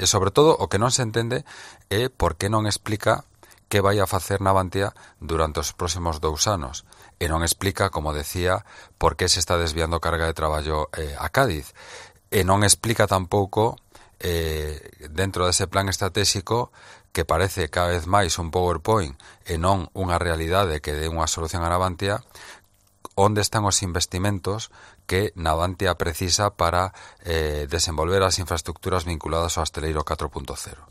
E sobre todo o que non se entende é por que non explica que vai a facer Navantia durante os próximos 2 anos. E non explica, como decía, por que se está desviando carga de traballo a Cádiz. E non explica tampouco, dentro dese plan estratégico, que parece cada vez máis un PowerPoint e non unha realidade que dé unha solución a Navantia, onde están os investimentos que Navantia precisa para desenvolver as infraestructuras vinculadas ao hosteleiro 4.0.